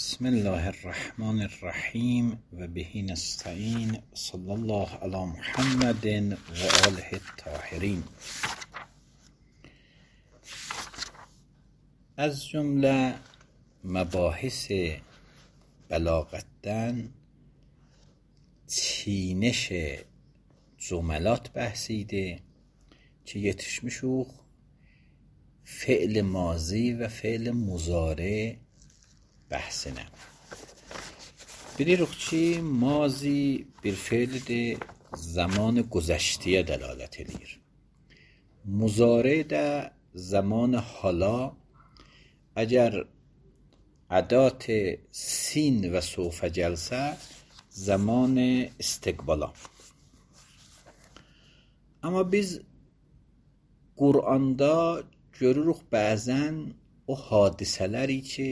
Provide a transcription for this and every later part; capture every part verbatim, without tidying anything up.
بسم الله الرحمن الرحیم و بهی نستعین. صلی الله علی محمد و آله الطاهرین. از جمله مباحث بلاغتن چینش جملات بحثیده که yetişmişuq فعل ماضی و فعل مضارع بحثine. Bilirik ki mazi bir fe'ldir, zaman گذشته دلالت edir. مضارع də zaman hala. Əgər ədat sin və sofə gəlsə, zaman istiqbala. Amma biz Quranda görürük bəzən o hadisələri ki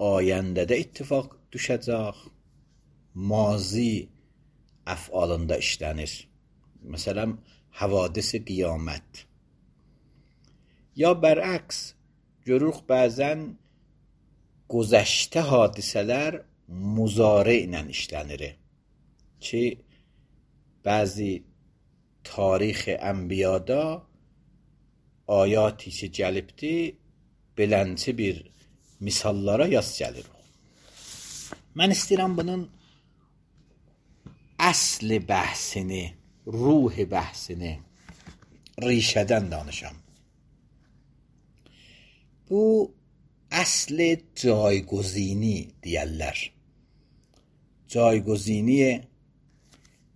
ayəndədə ittifaq düşəcək, mazi əfalında işlənir. Məsələn, havadis-i qiyamət. Ya bərəks, görürük bəzən güzəştə hadisələr muzare ilə işlənir. Ki, bəzi tarix ənbiyada ayati ki gəlibdi, belənçi bir misallara yaz gəlir. Mən istəyirəm bunun əsli bəhsini, ruhi bəhsini, rişədən danışam. Bu əsli caygozini deyərlər. Caygozini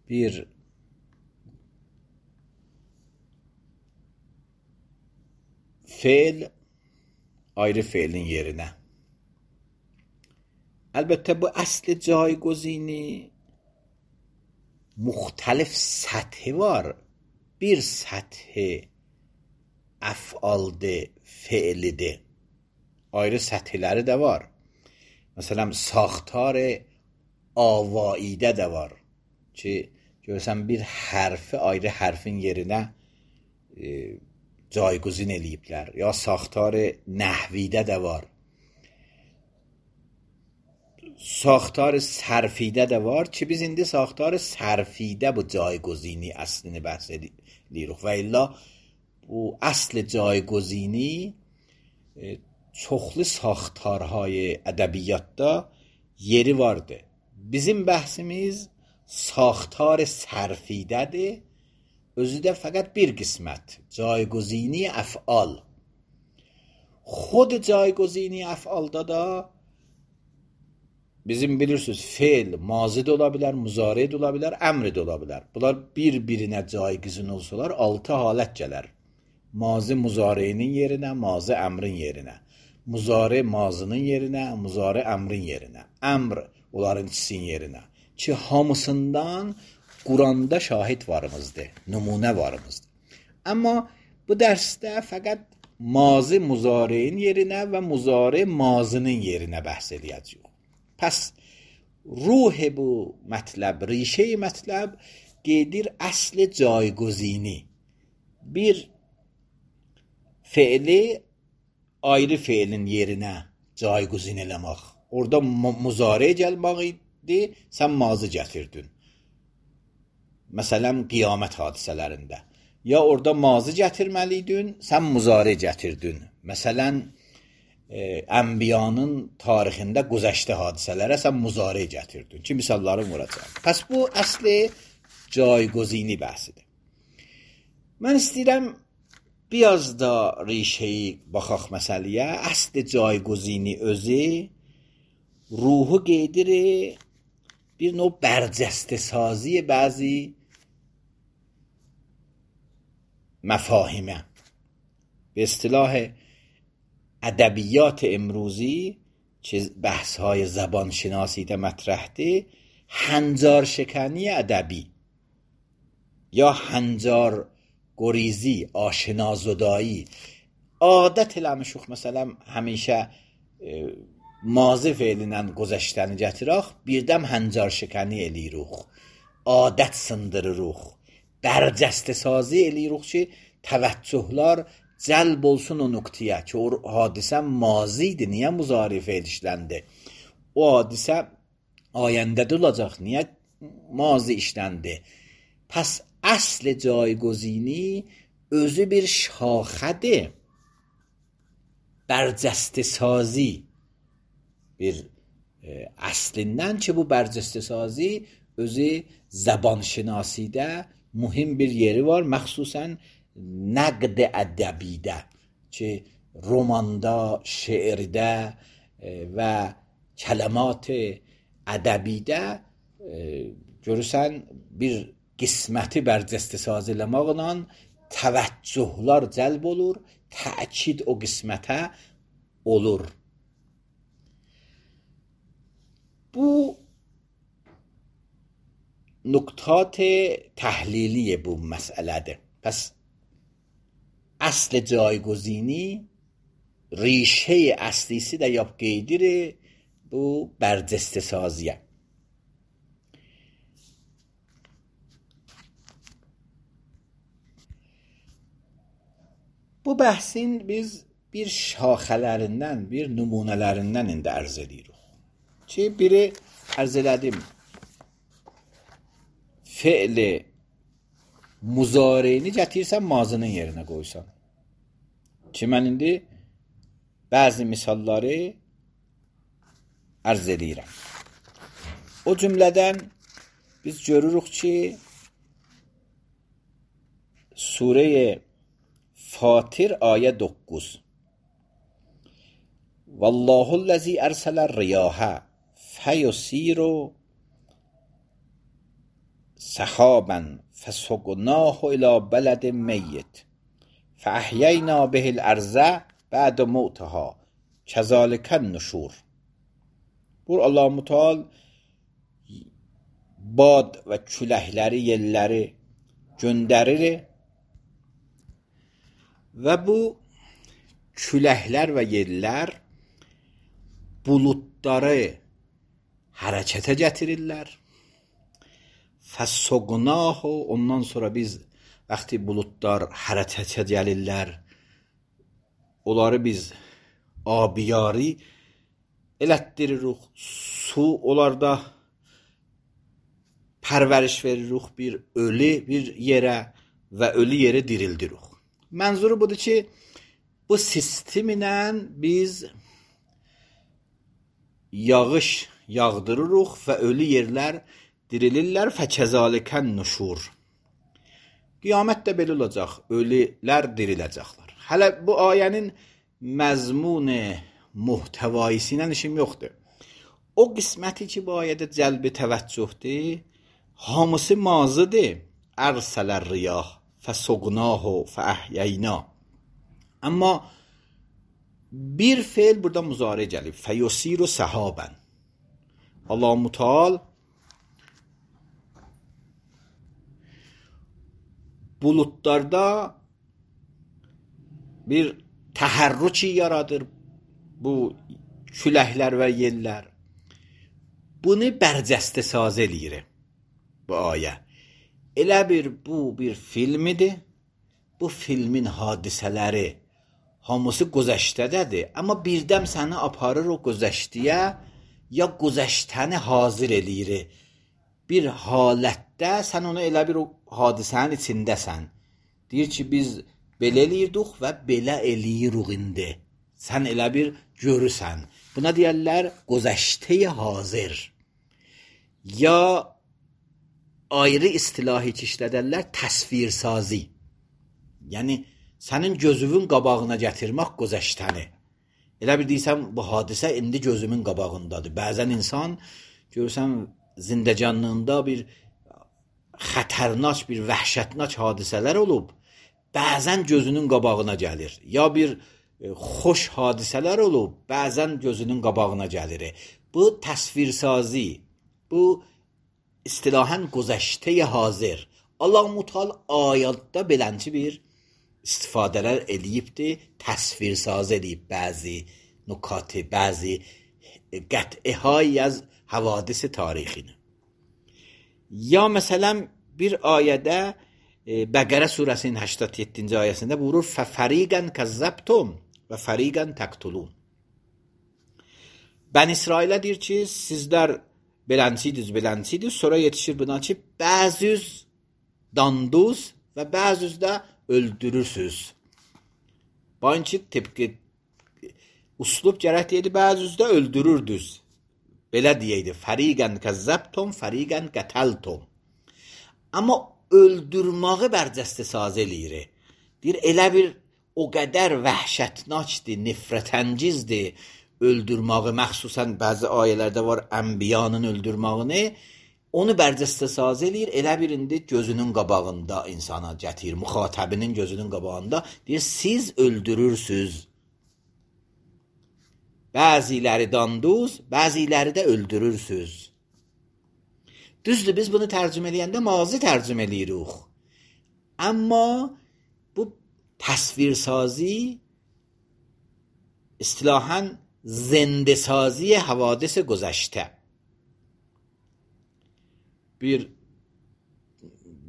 bir fe'l ayrı fe'lin yerine. Əlbəttə bu əsli caygozini müxtəlif səthi var. Bir səthi əfaldır, fe'lidir. Ayrı səthiləri də var. Məsələn, saxtar avaidə də var. Ki, görürsən bir hərfi ayrı hərfin yerinə e, caygozin eləyiblər. Ya saxtar nəhvidə də var. Saxtar sərfidə də var ki, biz indi saxtar sərfidə bu caygozini əslini bəhs edirik. Və illa bu əsl caygozini e, çoxlu saxtarهای ədəbiyyatda yeri vardı. Bizim bəhsimiz saxtar sərfidədir. Özü də fəqət bir qismət. Caygozini əfal. Xod caygozini əfalda da bizim bilirsiniz fe'l mazi də ola bilər, muzari də ola bilər, əmr də ola bilər. Bunlar bir-birinə caygizin olsalar altı halət gələr. Mazi muzarinin yerinə, mazi əmrin yerinə. Muzari mazinin yerinə, muzari əmrin yerinə. Əmr onların ikisinin yerinə. Ki hamısından Quranda şahid varımızdır, nümunə varımızdır. Amma bu dərsdə fəqət mazi muzari'nin yerinə və muzari mazinin yerinə bəhs edəcəyik. Pəs ruh bu mətləb, rişə-i mətləb gedir əsl caygozini. Bir fe'li ayrı fe'lin yerinə caygozin eləmək. Orada muzari gəlmək idi, sən mazi gətirdin. Məsələn, qiyamət hadisələrində. Ya orada mazi gətirməliydin, sən muzari gətirdin. Məsələn, e, ənbiyanın tarixində güzəştə hadisələrə sən muzari gətirdin. Ki, misallarım vuracaq. Pəs bu əsli caygozini bəhsidir. Mən istəyirəm biraz da rişəyi baxaq məsələyə. Əsli caygozini özü ruhu gedir bir növ برجسته سازی بعضی مفاهیمه. به اصطلاح ادبیات امروزی که بحث های زبان شناسی ده مطرحه، هنجار شکنی ادبی یا هنجار گریزی، آشنا زدایی. عادت لمشوخ مثلا همیشه mazi fe'lindən güzəştəni gətirək, birdəm həncər şəkəni eləyirik. Adət sındırırıq. Bərcəstə sazi eləyirik ki, təvəccühlər cəlb olsun o nöqtəyə ki, o hadisə mazi idi, niyə muzari fe'l işləndi? O hadisə ayəndədə olacaq, niyə mazi işləndi? Pəs əsl caygozini özü bir şaxədir. Bərcəstə sazi bir e, əslindən ki, bu bərcəstə sazi özü zəbanşinasidə mühim bir yeri var, məxsusən nəqd ədəbidə ki, romanda, şeirdə e, və kələmat ədəbidə e, görürsən bir qisməti bərcəstə sazi eləmaqla təvəccühlər cəlb olur, təkid o qismətə olur. Bu nuktat təhliliye bu məsələdir. Pəs əsl caygozini ریشه اصلیسی də yap qeydir bu bərcəstə saziyə. Bu bəhsin biz bir şaxələrindən, bir nümunələrindən indi ərz edirik. Ki, biri ərz elədim, fe'li muzareyni gətirsən mazının yerinə qoysan. Ki, mən indi bəzi misalları ərz edirəm. O cümlədən biz görürük ki, Surə-i Fatir ayə doqquz. Vallahullazi ərsələr riyahə fəyusiru səhabən fəsuqnahu ilə bələdin meyyit fəəhyəyna bihil ərzə bəd mu'taha kəzalikən nüşur. Bu Allah Müteal bad və küləkləri, yelləri göndərir və bu küləklər və yellər buludları hərəkətə gətirirlər. Fəssuqnahu, ondan sonra biz vaxtı buludlar hərəkətə gəlirlər, onları biz abiyari elətdiririk, su onlarda pərvəriş veririk bir ölü bir yerə və ölü yeri dirildirik. Mənzuru budur ki, bu sistemlə biz yağış yağdırırıq və ölü yerlər dirilirlər. Fəkəzalikən nüşur. Qiyamət də belə olacaq, ölülər diriləcəklər. Hələ bu ayənin məzmunu, muhtəvaisi ilə işim yoxdur. O qisməti ki, bu ayədə cəlb-i təvəccühdür, hamısı mazıdır. Ərsələr riyah fəsuqnahu fəəhyəyna. Amma bir fe'l burada muzari gəlib. Fəyusiru səhabən. Allah Müteal bulutlarda bir təhərrüki yaradır bu küləklər və yellər. Bunu bərcəstə saz eləyir bu ayə. Elə bir bu bir filmidir. Bu filmin hadisələri hamısı gözəşdədədir. Amma birdəm səni aparır o gözəşdiyə, ya gözəşdəni hazır eləyir. Bir halətdə sən onu elə bir o hadisənin içindəsən. Deyir ki, biz belə eləyirdik və belə eləyirik indi. Sən elə bir görürsən. Buna deyərlər gözəşdə hazır. Ya ayrı istilahi ki işlədərlər təsvirsazi. Yəni, sənin gözünün qabağına gətirmək gözəşdəni. Elə bir deyirsən, bu hadisə indi gözümün qabağındadır. Bəzən insan, görürsən, zindəcanlığında bir xətərnaç, bir vəhşətnaç hadisələr olub, bəzən gözünün qabağına gəlir. Ya bir e, xoş hadisələr olub, bəzən gözünün qabağına gəlir. Bu təsvirsazi, bu istilahən gözəşdə hazır. Allah Müteal ayətdə belənçi bir istifadələr eləyibdir, təsvirsaz eləyib bəzi nukati, bəzi qət'ihay az havadis tarixini. Ya məsələn bir ayədə Bəqərə surəsinin səksən yeddinci ayəsində buyurur: "Fəfəriqən kəzzəbtum və fəriqən təqtulun." Bəni İsrailə deyir ki, sizlər belənciydiniz, belənciydiniz. Sonra yetişir buna ki, bəziz danduz və bəziz də öldürürsüz. Bayın ki, tepki uslub gərək deyildi, bəziz də öldürürdüz. Belə deyəydi: "Fəriqən kəzzəbtum, fəriqən qətəltum." Amma öldürməyi bərcəsti saz eləyir. Deyir, elə bir o qədər vəhşətnakdir, nifrətəngizdir öldürməyi, məxsusən bəzi ayələrdə var ənbiyanın öldürməyini, onu bərcəstə saz eləyir, elə bir indi gözünün qabağında insana gətirir, müxatabinin gözünün qabağında, deyir, siz öldürürsüz. Bəziləri danduz, bəziləri də öldürürsüz. Düzdür, biz bunu tərcümə eləyəndə mazi tərcümə eləyirik. Amma bu təsvirsazi istilahan zendesazی حوادث گذشته bir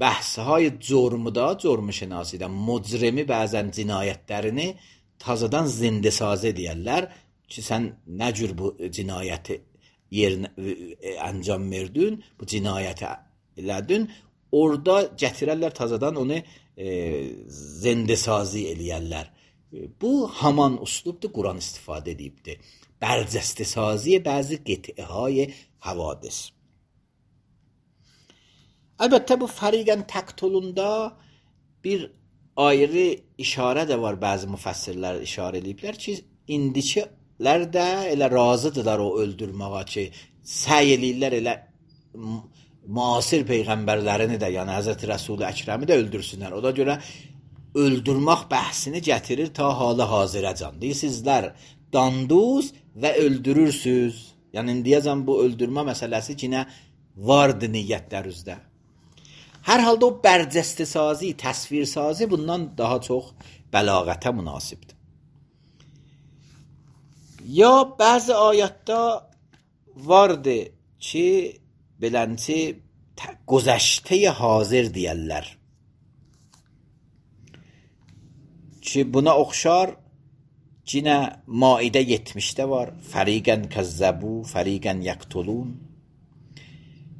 bəhsهای cürmdə, cürm şinasidə mücrimi bəzən cinayətlərini tazadan zindesazə deyirlər ki, sən nə cür bu cinayəti yerinə əncam verdin, bu cinayəti elədin, orada gətirərlər tazadan onu e, zindesazı eləyərlər. Bu haman uslubdur Quran istifadə edibdir. Bərcəsti saziyə bəzi qitəhay havadis. Əlbəttə bu fəriqən təqtulunda bir ayrı işarə də var, bəzi müfəssirlər işarə ediblər ki, indikilər də elə razıdırlar o öldürməyə ki, səy eləyirlər elə müasir peyğəmbərlərini də, yəni Həzrəti Rəsul-i Əkrəmi də öldürsünlər. O da görə öldürmək bəhsini gətirir ta hala hazirəcan. Deyir, sizlər danduz və öldürürsüz. Yəni, indiyəcən bu öldürmə məsələsi ki, nə vardı niyyətlərinizdə. Hər halda o bərcəstisazi, təsvirsazi bundan daha çox bəlağətə münasibdir. Ya bəzi ayətdə vardı ki, belənci gözəştəyə hazır deyərlər. Ki buna oxşar yine Maidə yetmişdə var. Fəriqən kəzzəbu, fəriqən yəqtulun.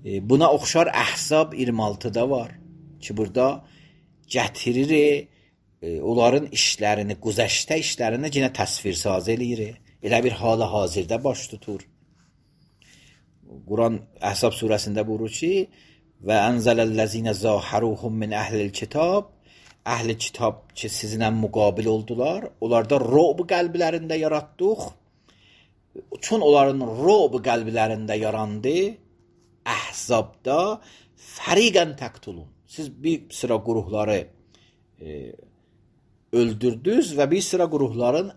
E, buna oxşar Əhzab iyirmi altıda var. Ki burada gətirir e, onların işlərini, güzəştə işlərini yine təsvirsaz eləyir. Elə bir hala hazırda baş tutur. Quran Əhzab surəsində buyurur ki: "Və ənzələl-ləzīnə zâharuhum min əhlil kitab." Əhl-i kitab ki, sizinlə müqabil oldular, onlarda ro'b qəlblərində yaratdıq. Çün onların ro'b qəlblərində yarandı, Əhzabda fəriqən təqtulun. Siz bir sıra qruhları e, öldürdünüz və bir sıra qruhların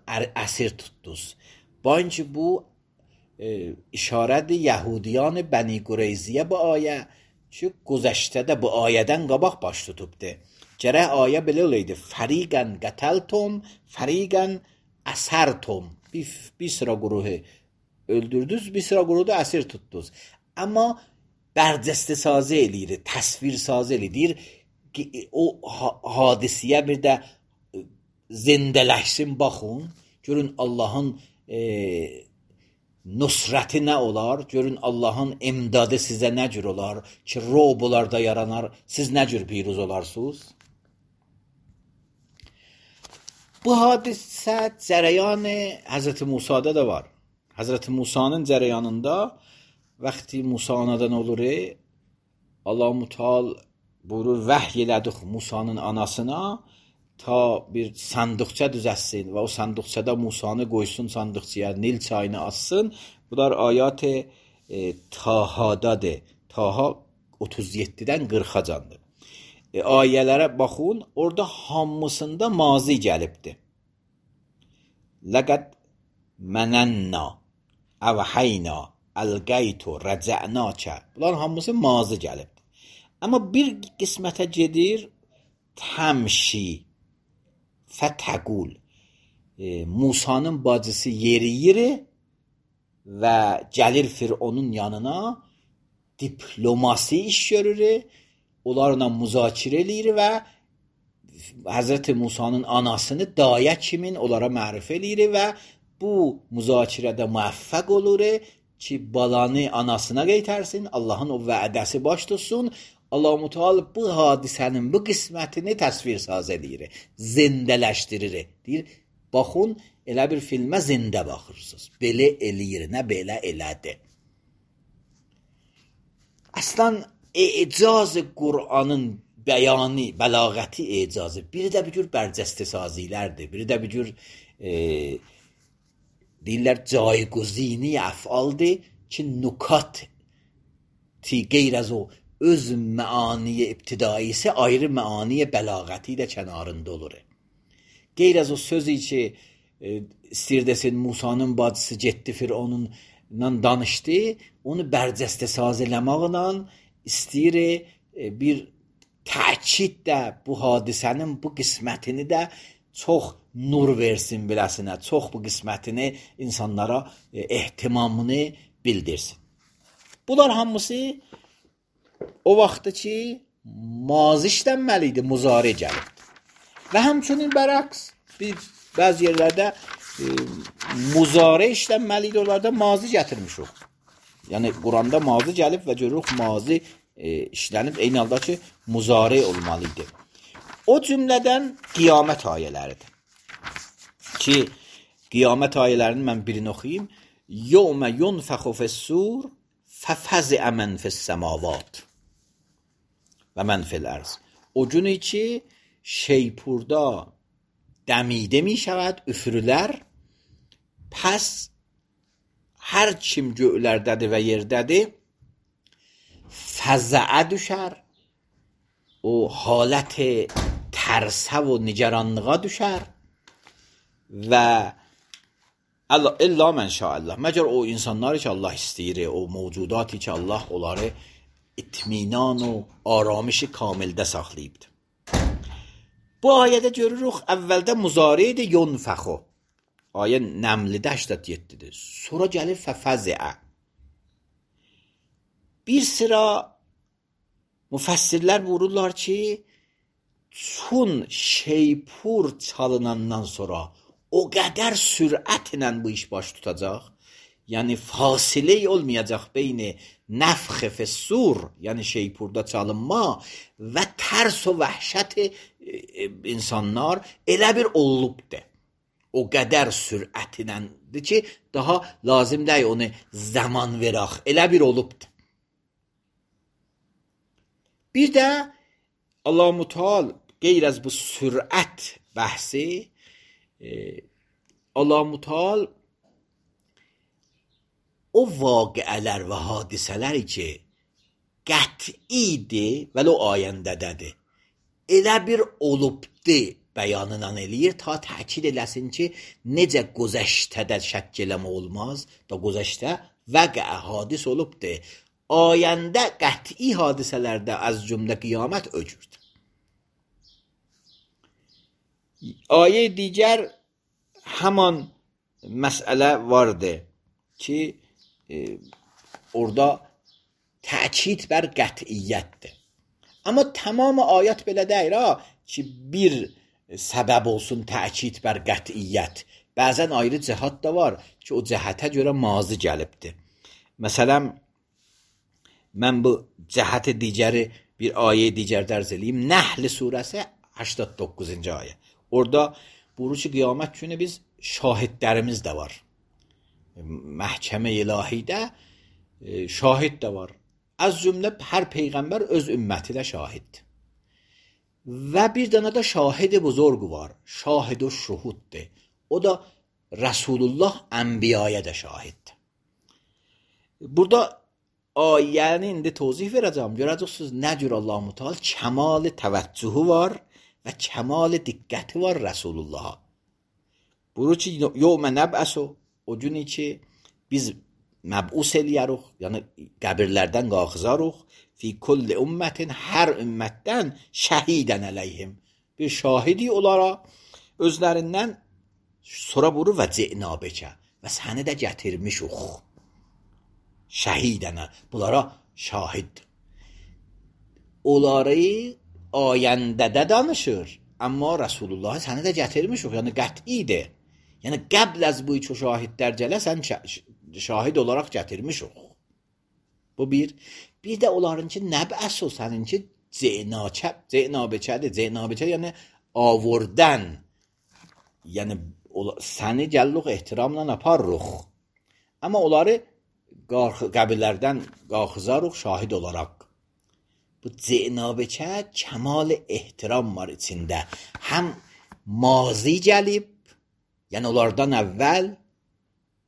əsir tutdunuz. Bayın ki, bu e, işarədir Yahudiyan Bəni Qureyziyə bu ayə ki, güzəştədə bu ayədən qabaq baş tutubdur. Gərək ayə belə olaydı: fəriqən qətəltum, fəriqən əsərtum. Bir, bir sıra quruhu öldürdünüz, bir sıra quruhu da əsir tutdunuz. Amma bərcəstəsazı eləyir, təsvirsazı eləyir. O hadisiyə bir də zindələşsin, baxın. Görün Allahın e, nusrəti nə olar? Görün Allahın imdadı sizə nə cür olar? Ki, ro'bularda yaranar, siz nə cür piruz olarsınız? Bu hadisə cərəyanı Həzrəti Musa'da da var. Həzrəti Musa'nın cərəyanında vaxtı Musa anadan olur, Allah Mutal buyurur, vəhy elədik Musa'nın anasına ta bir sandıqça düzəssin və o sandıqçada Musa'nı qoysun sandıqçaya, Nil çayını assın. Bunlar ayat-ı e, Taha'dadır. Taha otuz yeddidən qırxacandır. E, ayələrə baxın, orada hamısında mazi gəlibdir. Ləqəd mənənna, əvhəyna, əlqəytu, rəcənəkə. Bunlar hamısı mazi gəlibdir. Amma bir qismətə gedir, təmşi, fətəqul. E, Musa'nın bacısı yeriyir və gəlir Fironun yanına, diplomasi iş görür, onlarla müzakirə eləyir və Həzrət Musanın anasını dayə kimin onlara mərifə eləyir və bu müzakirədə müvəffəq olur ki, balanı anasına qaytarsın, Allahın o vədəsi baş tutsun. Allah Müteala bu hadisənin bu qismətini təsvir saz edir, zindələşdirir. Deyir, baxın, elə bir filmə zində baxırsınız. Belə eləyir, nə belə elədi. Əslən, icaz-ı Qur'anın bəyanı, bəlağəti icazı, biri də bir cür bərcəstə sazilərdir, biri də bir cür e, deyirlər, cayguzini əfaldır ki, nukat ti qeyr az o öz məaniyə ibtidaisi ayrı məaniyə bəlağəti də kənarında olur. Qeyr az o sözü ki, e, istəyir desin, Musanın bacısı getdi Fironunla danışdı, onu bərcəstə saz eləməklə istəyir e, bir təkid də bu hadisənin bu qismətini də çox nur versin biləsinə, çox bu qismətini insanlara e, ehtimamını bildirsin. Bunlar hamısı o vaxtı ki, mazi işlənməli idi, muzari gəlibdir. Və həmçinin bərəks, bir bəzi yerlərdə e, muzari işlənməli idi, onlarda mazi gətirmişik. Yəni, Quranda mazi gəlib və görürük mazi e, işlənib, eyni halda ki, muzari olmalı idi. O cümlədən qiyamət ayələridir. Ki, qiyamət ayələrini mən birini oxuyayım. Yevmə yunfəxu fəs-sur fəfəziə mən fəs-səmavat və mən fil-ərz. O günü ki, şeypurda dəmidə mi şəvəd, üfürülər, pəs hər kim göylərdədir və yerdədir, fəzəə düşər, o halət tərsə və nigaranlığa düşər və illa mən şəallah, məgər o insanları ki, Allah istəyir, o mövcudatı ki, Allah onları itminan o aramışı kamildə saxlayıbdır. Bu ayədə görürük, əvvəldə muzari idi, yunfəxu. Ayə Nəmlidə səksən yeddidir. Sonra gəlir fəfəziə. Bir sıra müfəssirlər vururlar ki, çün şeypur çalınandan sonra o qədər sürətlə bu iş baş tutacaq, yəni fasilə olmayacaq beyni nəfx fəs-sur, yəni şeypurda çalınma və tərs o vəhşət insanlar elə bir olubdur. O qədər sürətinəndir ki, daha lazım deyil onu zaman verək, elə bir olubdur. Bir də Allah-u Müteala qeyr az bu sürət bəhsi, e, Allah-u Müteala o vaqiələr və hadisələr ki, qətidir, vəli o ayəndədədir, elə bir olubdur bəyanından eləyir, ta təkid eləsin ki, necə gözəştədə şəkk eləmə olmaz, da gözəştə vəqə hadis olubdur. Ayəndə qəti hadisələrdə az cümlə qiyamət öcürdür. Ayə digər həman məsələ vardır ki, e, orada təkid bər qətiyyətdir. Amma tamam ayət belə deyir ha, ki, bir səbəb olsun təkid bər qətiyyət. Bəzən ayrı cəhət də var ki, o cəhətə görə mazi gəlibdir. Məsələn, mən bu cəhəti digəri bir ayə digər dərz eləyim. Nəhl surəsi səksən doqquzuncu ayə. Orada buyurur ki, qiyamət günü biz şahidlərimiz də var. Məhkəmə ilahidə şahid də var. Az cümlə hər peyğəmbər öz ümməti də şahiddir. Və bir dənə də şahid-i buzorgu var. Şahid-i şuhuddir. O da Rasulullah ənbiyaya da şahiddir. Burada ayəni indi tozih verəcəm. Görəcəksiniz nə cür Allah-u Müteala kəmal təvəccühü var və kəmal diqqəti var Rasulullaha. Buyurur ki, yevmə nəb'əsu, o günü ki, biz məb'us eləyərik, yəni qəbirlərdən qalxızarıq, fi kulli ümmətin, hər ümmətdən şəhidən əleyhim, bir şahidi onlara özlərindən sonra buyurur və ci'na bikə, və səni də gətirmişik. Şəhidənə, bunlara şahid. onları ayəndədə danışır. Amma Rasulullah səni də gətirmişik, yəni qətidir. Yəni qəbl az bu üç şahidlər gələ sən şahid olaraq gətirmişik. Bu bir. Bir də onlarınki nəbəs o səninki zeynəçə, zeynəbəçədir. Zeynəbəçə yəni avurdan. Yəni səni gəlluq ehtiramla aparırıq. Amma onları qəbirlərdən qalxızarıq şahid olaraq. Bu zeynəbəçə kəmal ehtiram var içində. Həm mazi gəlib, yəni onlardan əvvəl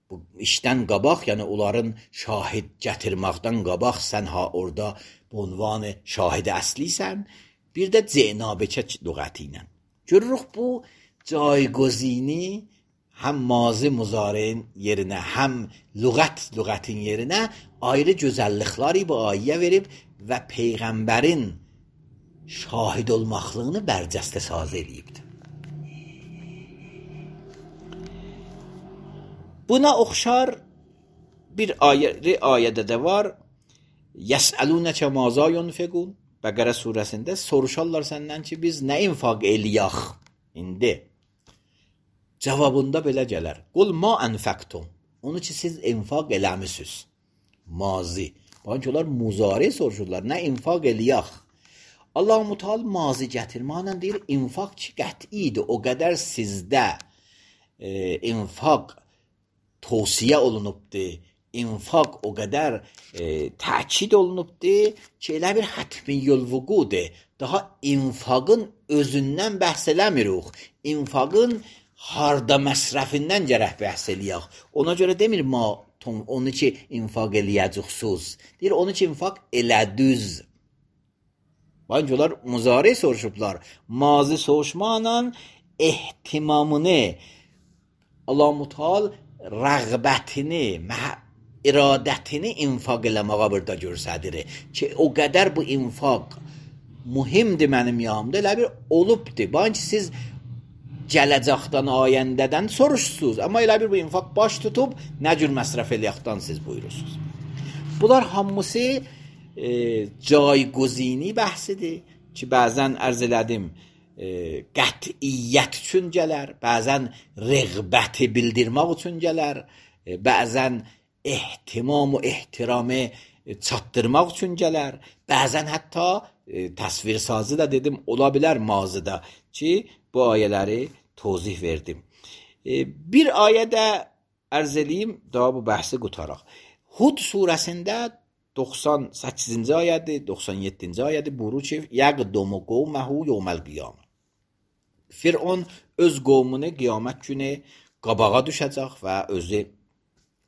bu işdən qabaq, yəni onların şahid gətirməkdən qabaq sən ha orada bu ünvanı şahid əslisən, bir də zeynəbəçə lüğəti ilə. Görürük bu caygozini həm mazi muzari'nin yerinə, həm lüğət lüğətin yerinə ayrı gözəllikləri bu ayə verib və Peyğəmbərin şahid olmaqlığını bərcəstə saz edibdir. Buna oxşar bir ayə, ayədə də var. Yəsəlunəkə mazə yunfiqun. Bəqərə surəsində soruşarlar səndən ki, biz nə infaq eləyək indi? Cavabında belə gələr. Qul ma ənfəqtum. Onu ki, siz infaq eləmisiniz. Mazi. Baxın ki, onlar muzari soruşurlar. Nə infaq eləyək? Allah-u Teala mazi gətirməklə deyir, infaq ki, qətidir. O qədər sizdə e, infaq tövsiyə olunubdur. İnfaq o qədər e, təkid olunubdur ki, elə bir hətmiyyül vuqudur. Daha infaqın özündən bəhs eləmirik. İnfaqın harda məsrəfindən gərək bəhs eləyək. Ona görə demir ma onu ki, infaq eləyəcəksiniz. Deyir, onu ki, infaq elədüz. Baxın ki, onlar muzari soruşublar. Mazi soruşmaqla ehtimamını, Allah-u Teala rəğbətini, iradətini infaq eləməyə burada göstərir ki, o qədər bu infaq mühimdir mənim yanımda, elə bir olubdur. Baxın ki, siz gələcəkdən, ayəndədən soruşsunuz, amma elə bir bu infaq baş tutub, nə cür məsrəf eləyəkdən siz buyurursunuz. Bunlar hamısı e, caygozini bəhsidir ki, bəzən ərz elədim, E, qətiyyət üçün gələr, bəzən rəğbəti bildirmək üçün gələr, e, bəzən ehtimam və ehtiramı çatdırmaq üçün gələr, bəzən hətta e, təsvir sazı da dedim, ola bilər mazıda ki, bu ayələri tozih verdim. E, bir ayədə ərz eləyim, daha bu bəhsi qutaraq. Hud surəsində doxsan səkkizinci ayədir, doxsan yeddinci ayədir, buyurur ki, yəqdumu qovməhu yevməl qiyamə. Firon öz qovmunu qiyamət günü qabağa düşəcək və özü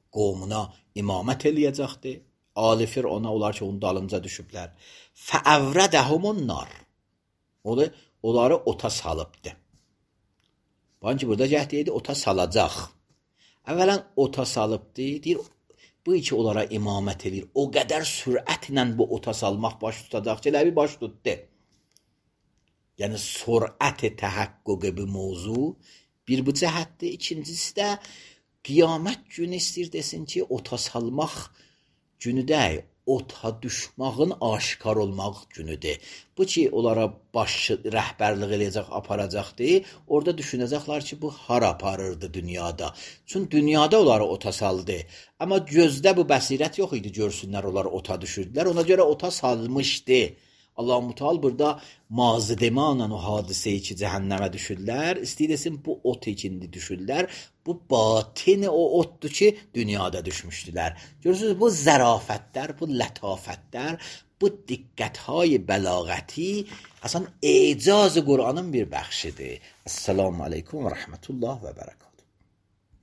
qovmuna imamət eləyəcəkdir. Ali Firona onlar ki, onun dalınca düşüblər. Fəəvrədəhumun nar. Onları ota salıbdır. Baxın ki, burada cəhd deyildi, ota salacaq. Əvvələn ota salıbdır, deyir, bu iki onlara imamət edir. O qədər sürətlə bu ota salmaq baş tutacaq ki, elə bir baş tutdu. Yəni, sürət-i təhəqqüqü bir mövzu bir bu cəhətdir. İkincisi də qiyamət günü istəyir desin ki, ota salmaq günü deyil, ota düşmağın aşkar olmaq günüdür. Bu ki, onlara baş rəhbərlik eləyəcək, aparacaqdır. Orada düşünəcəklər ki, bu hara aparırdı dünyada. Çünki dünyada onları ota saldı. Amma gözdə bu bəsirət yox idi, görsünlər, onları ota düşürdülər. Ona görə ota salmışdı. Allah-u Teala burada mazı demanla o hadiseyi ki, cəhənnəmə düşürlər. İstəyir desin, bu ot ikindi düşürlər. Bu batini o otdur ki, dünyada düşmüşdülər. Görürsünüz, bu zərafətlər, bu lətafətlər, bu diqqətهای bəlağəti əsən ecaz Qur'anın bir bəxşidir. Esselamu aleykum və rəhmətullah və bərəkət.